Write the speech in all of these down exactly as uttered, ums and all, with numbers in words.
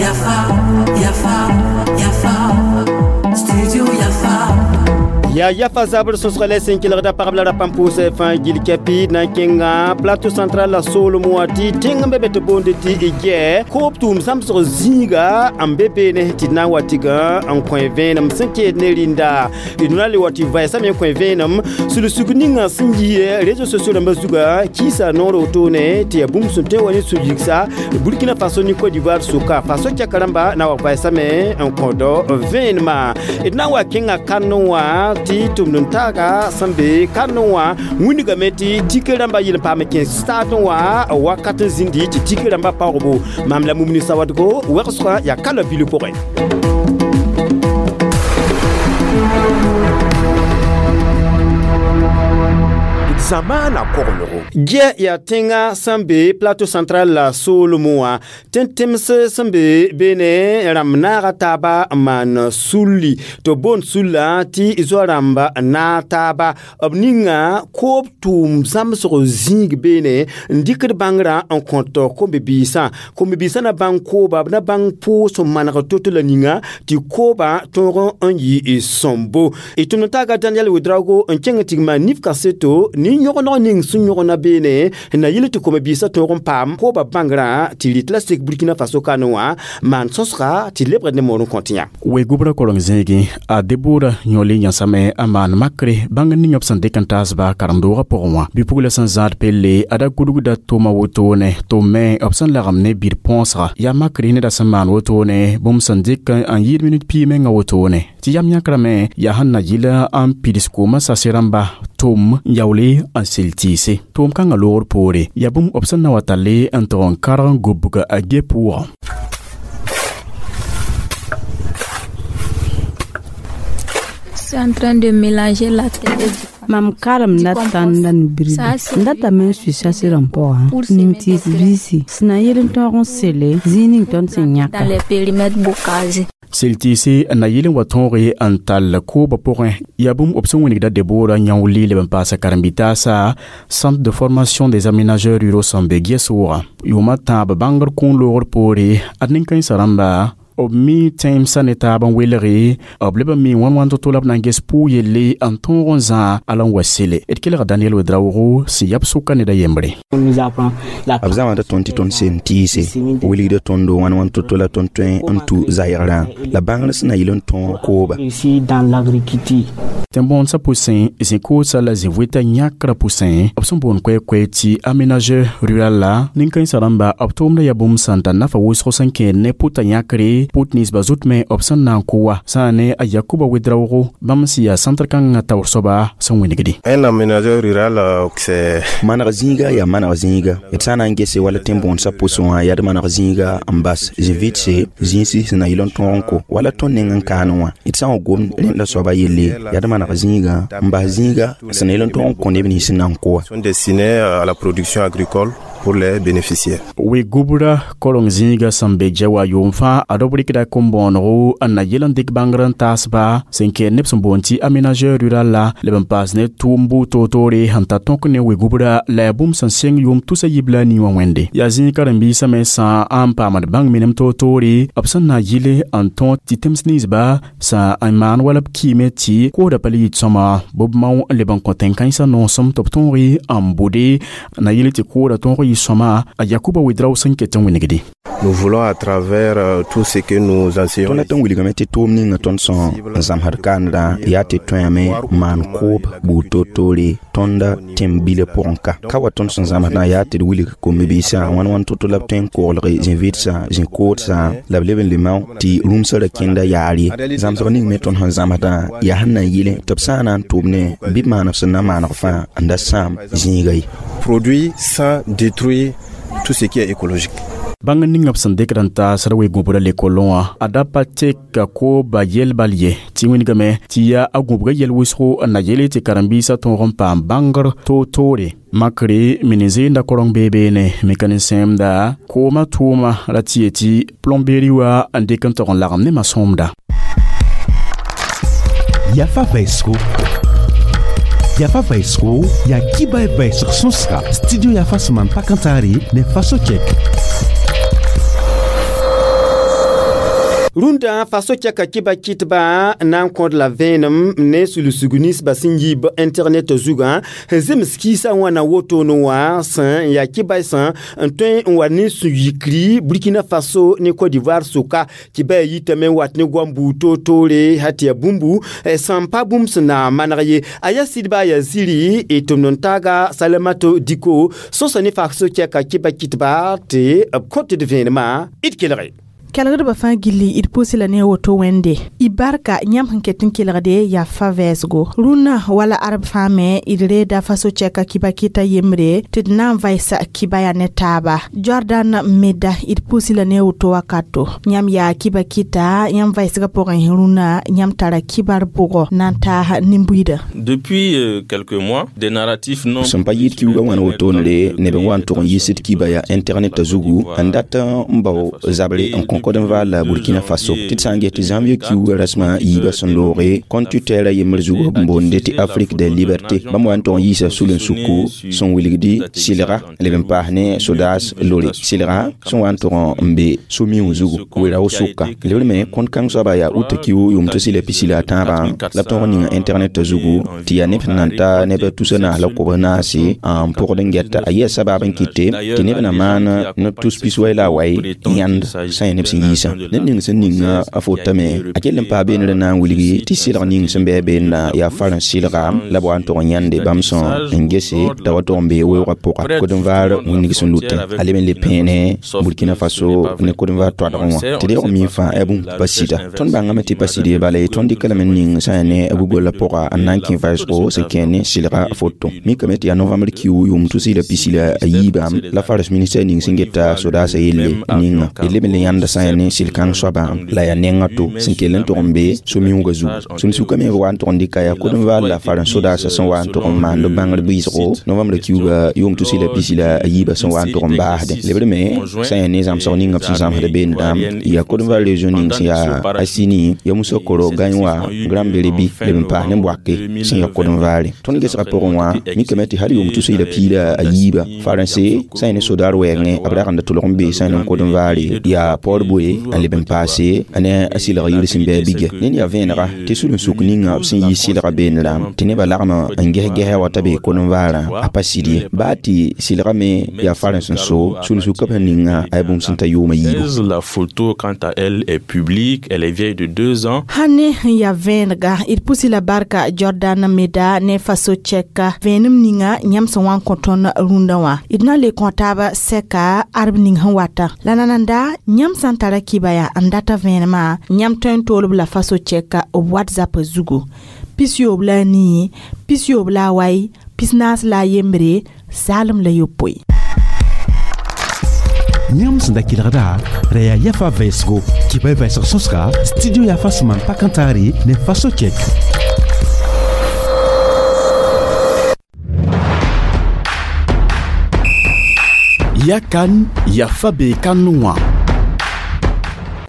Yafa, Yafa, Yafa, Studio Yafa. Ya yafa zabr sosgale sẽn kelgda pagb la rap n pʋʋsɛ fãa gil kɛpɩ na n kẽnga plateau central la soolem wã tɩ tẽng n be be tɩ boonde tɩ gɛ koob tʋʋm zãmsg zĩiga n be beene tɩ d na n wa tɩg n kõ vẽenem sẽn keed ne rĩnda d na le wa tɩ vɛɛsame n kõ vẽenem sulsug ninga sẽn yi réseaux sociaux rãmbã zuga kiisa noor wotone tɩ yaa bũmb sẽn tõe n wa ne sũ-yigsa Burkina Faso ne Côte d'Ivoire sʋka Faso kɛka rãmba na wa vɛɛsame n kõd vẽenemã d na n wa kẽnga kandẽ wã tɩ tʋmd n taaga sẽn be kandẽ wã wĩndgame tɩ tike rãmbã yel n paam n kẽ stade wã wakat n zĩndi tɩ tike rãmbã paoogbo maam la mumni sawadgo wegsgã yaa ka la bil pʋgẽ. Zamaana koglgo. Gɛ yaa tẽnga sẽn be plateau central la soolem wã tẽn-tẽms sẽn be beene rãmb naaga taaba n maan sulli tɩ b boond sulla tɩ zoa-rãmba n naag taaba b ninga koob tʋʋm zãmsg zĩig beene n dɩkd bãngrã n kõt kom-bibiisã kom-bibiisã na bãng kooba b na bãng pʋʋs n maneg to-to la ninga tɩ koobã tõog n yɩ sõmbo d tʋmd n taaga Daniel Ouedraogo n kẽng n tɩ maan nif kaseto ne yõgeneg ning sẽn yõgna beene na yɩl tɩ kom-biisã tõog n paam kooba bãngrã tɩ rɩt la sek Burkina Faso kane wã maan sõsga tɩ lebgd ne moor n kõ tɩ yã. Wegubra koreng zẽegẽ a Debora yõle yãsame n maan makre bãng ning b sẽn dɩk n taasba karen-doogã pʋgẽ wã bɩ-pugla sẽn zãad pelle a da gudgda tʋma wotone tʋ me b sẽn lagem ne bir põosga yaa makre neda sẽn maan wotone bũmb sẽn dɩk n yɩɩd minut pii menga wotone tɩ yam yãkrame yaa sẽn na yɩl n pids koomã sase rãmba tʋm n yaoole n sel tɩɩse tʋʋm kãngã loogr poore yaa bũmb b sẽn na wa talle n tog n karg n gobg a ge pʋʋgã. Je suis en train de mélanger la terre et du Mam karemda tãnda n birdi n datame n sui sase-rãmb pʋgã ning tɩɩs biisi sẽn na yel n tõog n sele zĩig ning tõnd sẽn yãka. Dans les périmètres bocagés. Sel tɩɩse n na yɩl n wa tõoge n tall koobã pʋgẽ yaa bũmb b sẽn wĩnigda Debora yãoole leb n paasa karen-bi-taasa Centre de formation des aménageurs ruraux sẽn be Gɛs-wʋgã yʋʋmã tãab bãngr kũun loogr poore ad nin-kãensã rãmba b mi tẽemsã ne taab n welge b leb n mi wãn-wãn to-to la b na n ges pʋʋg yelle n tõog n zã a la n wa sele d kelga Daniel Ouedraogo sẽn yab sʋka ned a yembre. B zãmsda tõnd tɩ tõnd sen tɩɩse wilgda tõndo wãn-wãn to-to la tõnd tõe n tu zaɩgrã la bãngr sẽn na yɩl n tõog kooba. Tẽn-bõodsã pʋsẽ zĩ-koodsã la zĩ-vʋɩtã yãkrã pʋsẽ b sẽn boond koɛ-koɛ tɩ aménageur rural la nin-kãensã rãmba b tʋʋmda yaa bũmb sẽn tar nafa wʋsg sẽn kẽed ne pʋta yãkre pʋt ninsbã zut me b sẽn na n kʋ wa sã ne a Yakuba Ouedraogo bãmb sẽn yaa centre kãngã taoor soaba sẽn wĩnigdi. Un aménageur rural c'est maneg zĩiga yaa maneg zĩiga d sã n na n gese wala tẽn-bõodsã pʋsẽ wã yaa d maneg zĩiga n bas zĩ-vɩtse zĩisi sẽn na yɩl n tõog n ko wala tõnd neng n kaane wã d sã n wa gomd rẽndã soaba yelle yaa d maneg zĩiga n bas zĩiga sẽn na yɩl n tõog n kõ neb nins sẽn na n kʋ wã. Sont destinés à la production agricole pour les bénéficiaires. Wegubra korong zĩiga sẽn be ja wa yʋʋm fãa ad b rɩkda kom-bõonego n na yɩl n dɩk bãngr n taasba sẽn kɛɛd neb sẽn boond tɩ aménageur rural la leb n paas ne tʋʋm buud toor-toore sẽn ta tõk ne wegubra la yaa bũmb sẽn seng yʋʋm tusa yib la a nii wã wẽnde yaa zĩig karen-biisã me sã n paamd bãng minem toor-toore b sẽn na yɩle n tõog tɩ tẽms ninsba sã n maan wala b kiime tɩ koodã pa le yit sõma bɩ b mao n leb n kõ tẽn-kãensã noosem tɩ b tõoge n bʋde na yɩl tɩ koodã tõog yɩ sõma a Yakuba Ouedraogo sẽn ket n wĩnigdi. Nous voulons à travers euh, tout ce que nous enseignons. Tõnd dat n wilgame tɩ tʋʋm ninga tõnd sẽn n zãmsd kaandã yaa tɩ tõeame maan koob buud toor-toore tõnda tẽm-bilã pʋgẽ ka ka wa tõnd sẽn zãmsdã yaa tɩ d wilg kom-bibiisã wãn-wãn to-to la b tõe n koglge zĩ-vɩdsã zĩ-koodsã la b leb n le mao tɩ rũmsã ra kẽnda yaar ye zãmsg ning me tõnd sẽn zãmsdã yaa sẽn na n yɩle tɩ b sã n na n tʋʋm ne bɩ b maan b sẽn na maaneg fãa n da sãam zĩiga ye. Produit sans détruire tout ce qui est écologique. Bãng ning b sẽn dɩkd n taasd we-gũbra lekolẽ wã a da pa tek kooba yɛl bal ye tɩ wĩnigame tɩ yaa a gũbga yɛl wʋsgo n na yele tɩ karen-biisã tõog n paam bãngr toor-toore makre mini-zẽenda korong bee beene mekanisẽmda koomã tʋʋma ra tɩ ye tɩ plomberie wã n dɩk n tog n lagem ne ma-sõmda. Yafa Vesco. Yafa vɛɛsgo yaa kibay vɛɛsg sõsga studio Yafa sẽn maan pak n taare ne Faso Chɛk. Rũndã faso kɛka kɩba kɩtba na n kõd la vẽenem ne sulsg ninsbã sẽn yiib internet zugã sẽn zems kiisã wãna wotone wã sẽn yaa kɩbaysã n tõe n wa ne sũ-yikri Burkina Faso ne Côte d'Ivoire sʋka tɩ ba yitame n wat ne goam buud toor-toore sã tɩ yaa bũmbu sẽn pa bũmb sẽn na maneg ye a yaa sɩdba yaa ziri d tʋmd n taaga Salamato Diko sõsa ne faso kɛka kɩba kɩtba tɩ b kõt d vẽenemã d kelge. Kelgdbã fãa gilli d pʋʋs la ne a woto wẽnde y barka yãmb sẽn ket n kelgde yaa fa vɛɛsgo rũnnã wala arb fãa me d reeda faso chɛka kɩba kɩta yembre tɩ d na n vaɩsa kɩba yaa ne taaba Jordan meda d pʋʋs la ne a woto wakato yãmb yaa kɩba kɩta yãmb vaɩsgã pʋgẽ rũnnã yãmb tara kibar bʋgɔ na n taas nin-buiidã. Depuis euh, quelques mois, des narratifs non sẽn pa yɩɩd kiuugã wãna wotoonre neb n wa n tʋg n yiisd kiba yaa internet zugu n dat n bao zabre n kõ Côte d'Ivoire la Burkina Faso tɩ d sã n ges tɩ janvier kiuugã rasmã yiibã sẽn looge compte Twitter yembr zug b boonde tɩ Afrique des libertés bãmb wa n tʋg n yiisa sul-n-suku sẽn wilgdi sɩlga leb n paas ne sodaas lore sɩlga sẽn wa n tʋg n be so-miuug zugu wera-wo sʋka lebr me kõnt kãng soaba yaa uta kiu yʋm tɩ sɩla pisi la a tãabã la b tõg n ninga internet zugu tɩ yaa neb sẽn nan ta neb tusa naas la kobs naase n pʋgd n gɛta a yɩa sabab n kɩte tɩ neb na maan neb tus pis wai la a wai yãnd sã yaa neb sẽn yiisã ned ning sẽn ninga a fotame a kell n paa beenrã na n wilgi tɩ sɩlg ning sẽn bɩ a beenda yaa farã sɩlga la b wa n tʋg n yãnde bãmb sẽn n gese t'a wa tʋg n bee weoogã pʋga Côte d'Ivoire wĩnnig sẽn lutẽ a leb n le pẽene Burkina Faso ne Côte d'Ivoire toadgẽ wã tɩ deoog mi fãa yaa bũmb pa sɩda tõnd bãngame tɩ pa sɩd ye bala ye tõnd dɩka lame n ning sã yaa ne a Google pʋga n na n kẽ vɛɛsgo sẽn kẽ ne sɩlga foto mikame tɩ yaa novembre kiu yʋʋm tus la pisi la a yiibã la faras ministɛr ning sẽn geta sodaasã yelle ninga d leb n le yãnda sã yaa ne sɩl-kãng soabã la yaa nengã to sẽn kell n tʋg n be so-miuugã zugu sũn-sukã me b wa n tʋg n dɩka yaa Côte d'Ivoire la farãs sodaasã sẽn wa n tʋg n maand b bãngr bɩɩsgo novembre kiuugã yʋʋm tus la pisi la a yiibã sẽn wa n tʋg n baasdẽ lebr me sã yaa ne zãmsg ninga b sẽn zãmsd beendã yaa Côte d'Ivoire région ning sẽn yaa Asini ya Musokoro Gagnoa Grand Bérébi leb n paas ne Bouaké sẽn yaa Côte d'Ivoire tõnd gesgã pʋgẽ wã mikame tɩ hal yʋʋm tus la pii la a yiibã faransɛ sã yaa ne sodaar wɛɛngẽ b ragenda tʋlg n be sã yaa ne Côte d'Ivoire yaa Port Boué n leb n paase ne a sɩlg yir sẽn bɩ a bigɛ ned yaa vẽenega tɩ sul-n-suk ninga b sẽn yi sɩlga beenrã tɩ nebã lagm n ges-gesa wa t'a bee Côte d'Ivoire a pa sɩd ye baa tɩ sɩlga me yaa farãs n so sul-n-sukã b sẽn ninga a yaa bũmb sẽn ta yʋʋma yiibu. La photo, quant à elle, est publique, elle est vieille de deux ans. Sãn ne sẽn yaa vẽenega d pʋsi la barka Jordan Meda ne Faso chɛka vẽenem ninga yãmb sẽn wa n kõ tõnd rũndã wã d na n le kõ taaba sɛka arb ning sẽn wata la nananda yãmb sã n tara kɩba yaa n data vẽenemã yãmb tõe n toolb la Faso chɛka b WhatsApp zugu pis-yoob la a nii pis-yoob la a wai pis-naas la a yembre zaalem la yopoe. Yãmb sẽn da kelgda ra yaa Yafa vɛɛsgo kɩba y vɛɛsg sõsga studio Yafa sẽn maan pak n taare ne Faso Chɛk. Ya kan yafa be kanu wã.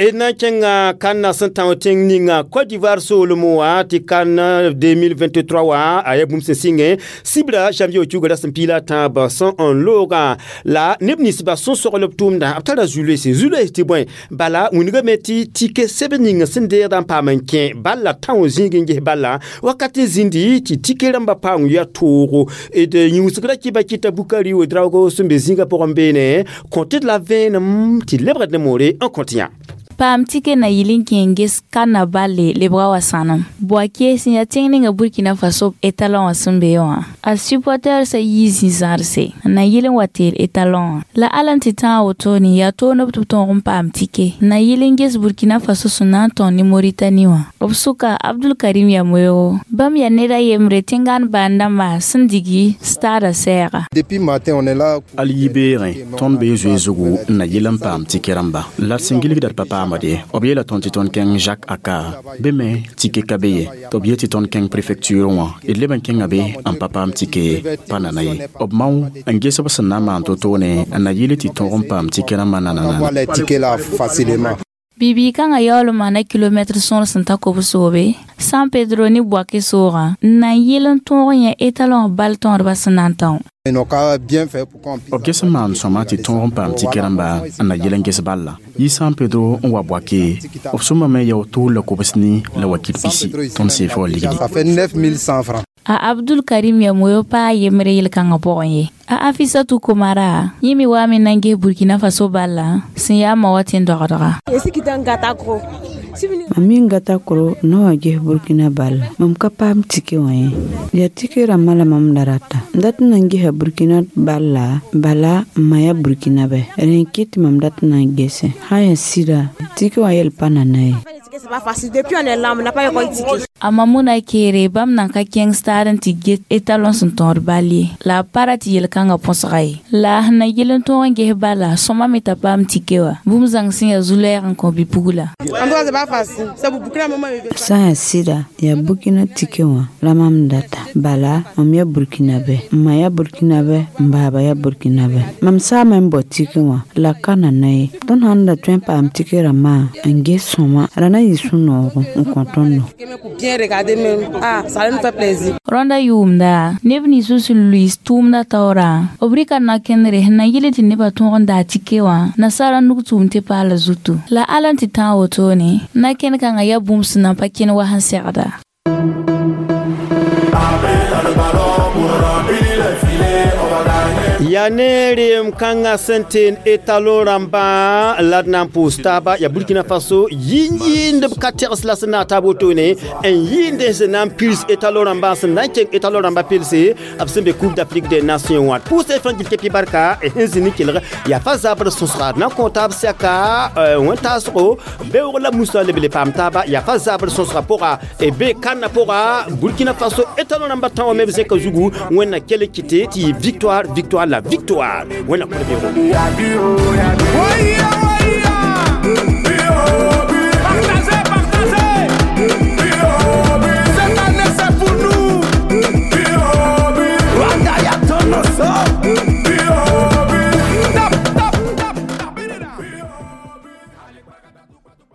D na n kẽnga kãnna sẽn tão tẽng ninga Côte d'Ivoire soolem wã tɩ kan deux mille vingt-trois wã a yaa bũmb sẽn sɩngẽ sibra janvier kiuugã ra sẽn piila tãab sẽn n loogã la neb ninsbã sẽn sogl b tʋʋmdã b tara zu-loeese zu-loees tɩ bõe bala wĩnigame tɩ tike sɛbd ning sẽn deegdã n paam n kẽ bala tão zĩig n ges bala wakat n zĩndi tɩ tike rãmbã paam ya toogo d yĩusgra kɩba kɩta Bukari Ouedraogo sẽn be zĩigã pʋgẽ beene kõ tɩ d la vẽenem tɩ lebgd ne moore n kõt yã. Paam tike na yɩl n kẽ n ges ka na balle lebga wa sãnem Bouaké sẽn yaa tẽng ninga Burkina Faso étalon wã sẽn be wã a supporter sa yii zĩ-zãrse n na yɩl n wa teel étalon wã la al n tɩ tãag wotone yaa tooneb tɩ b tõog n paam tike n na yɩl n ges Burkina Faso sẽn na n tõog ne Moritani wã b sʋka Abdul Karim Yamoyogo bãmb yaa ned a yembre tẽngaan bãan-dãmba sẽn digi stadã sɛɛga. Depuis matin, on est là. Al yibeerẽ tõnd bee zoe zugu n na yɩl n paam tike rãmba la d sẽn gilgda d pa paamade b yeela tõnd tɩ tõnd kẽng Jacques Aka be me tike ka be ye tɩ b yet tɩ tõnd kẽng préfecture wã d leb n kẽnga be n pa paam tike ye pa nana ye b mao n ges b sẽn na n maan to-toone n na yɩl tɩ tõog n paam tike rãmbã On nanana. voit les tickets là facilement. Bibi kãngã yaool n maana kilomɛtr sõor sẽn ta kob-soobe San Pedro ne Bouaké soogã n na n yɩl n tõog n yẽ étalon bal tõodbã sẽn na n tão. B ges n maan sõma tɩ tõog n paam tike rãmba n na yɩl n ges balla yi San Pedro n wa Bouaké b sõmame yao tʋʋl la kobs ni la wakil pisi tõnd seefa wa ligdi. A Abdul Karim ya moyo pa yembre yel-kãngã pʋgẽ ye. A Afisatu Komara yẽ me waame n na n ges Burkina Faso balla sẽn yaa ma wa tẽn-dogdga. Mam mi n gata koro n na wa ges Burkina balla mam ka paam tike wã ye yaa tike rãmbã la mam da rata n dat n na n gesa Burkina balla bala n ma yaa Burkina bɛ rẽ n kɩt tɩ mam dat n na n gese sã n yaa sɩda tike wã yel pa nana ye. A Mamuna keere bãmb nan ka kẽng stad n tɩ get étalon sẽn tõod bal ye la a pa ra tɩ yel-kãngã põsga ye la sẽn na yɩl n tõog n ges bala sõma me t'a paam tike wã bũmb zãng sẽn yaa zu-lɛɛg n kõ bi-pugla. Sã n yaa sɩda yaa Burkina tike wã la mam data bala mam yaa Burkina bɛ n ma yaa Burkina bɛ n baaba yaa Burkina bɛ mam saame n bao tike wã la ka nana ye tõnd sãn da tõe n paam tike rãmbã n ges sõma ra na n yɩ sũ-noogo n kõ tõndo. Rõnda yʋʋmda neb nins sẽn luis tʋʋmdã taoorã b rɩka na-kẽndre sẽn na yɩl tɩ nebã tõog n daa tike wã nasaara nug tʋʋm tɩ paala zutu la ala n tɩ tãag wotone na-kẽnd kãngã yaa bũmb sẽn na n pa kẽn wa sẽn segda. Ya ne rem kãngã sẽn teen étalon rãmbã la d na n pʋʋs taaba ya Burkina Faso yĩn-yĩnd b ka tegs la sẽn na n taab wotone n yĩnd sẽn na n pils étalon rãmbã sẽn na n keng étalon rãmbã pilse b sẽn be Coupe d'Afrique des Nations wã pʋʋsẽ fãa gil kepi barka sẽn zĩnd n kelg yaa fa zabr sõsga d na n kõ taab sɛka wẽn-taasgo beoog la musa leb le paam taaba yaa fa zabr sõsga pʋga be kãnna pʋga Burkina Faso étalon rãmbã tã wã me b zẽka zugu wẽnna kell kɩte tɩ yɩ victoire victoire la victoire. Wẽnna kõ